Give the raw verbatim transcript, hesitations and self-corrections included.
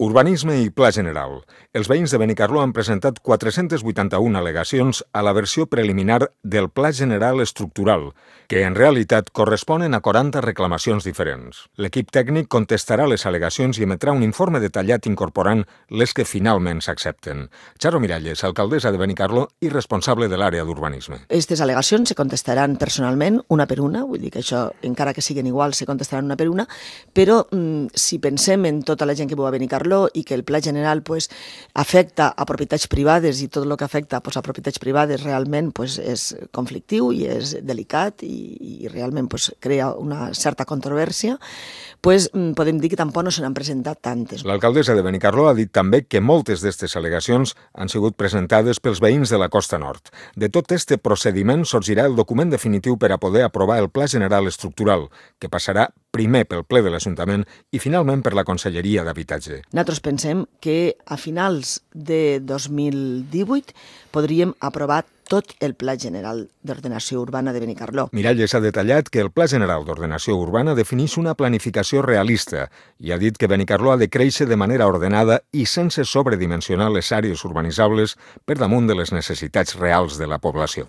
Urbanisme i Pla General. Els veïns de Benicarló han presentat quatre-centes vuitanta-una al·legacions a la versió preliminar del Pla General Estructural, que en realitat corresponen a quaranta reclamacions diferents. L'equip tècnic contestarà les al·legacions i emetrà un informe detallat incorporant les que finalment s'accepten. Charo Miralles, alcaldessa de Benicarló i responsable de l'àrea d'urbanisme. Aquestes al·legacions se contestaran personalment, una per una, vull dir que això, encara que siguin iguals, se contestaran una per una, però mm, si pensem en tota la gent que viu a Benicarló i que el Pla General pues, afecta a propietats privades i tot el que afecta pues, a propietats privades realment pues, és conflictiu i és delicat i, i realment pues, crea una certa controvèrsia, pues, podem dir que tampoc no se n'han presentat tantes. L'alcaldessa de Benicarló ha dit també que moltes d'aquestes al·legacions han sigut presentades pels veïns de la Costa Nord. De tot este procediment sorgirà el document definitiu per a poder aprovar el Pla General Estructural, que passarà primer pel ple de l'Ajuntament i finalment per la Conselleria d'Habitatge. Nosaltres pensem que a finals de dos mil divuit podríem aprovar tot el Pla General d'Ordenació Urbana de Benicarló. Miralles ha detallat que el Pla General d'Ordenació Urbana defineix una planificació realista i ha dit que Benicarló ha de créixer de manera ordenada i sense sobredimensionar les àrees urbanitzables per damunt de les necessitats reals de la població.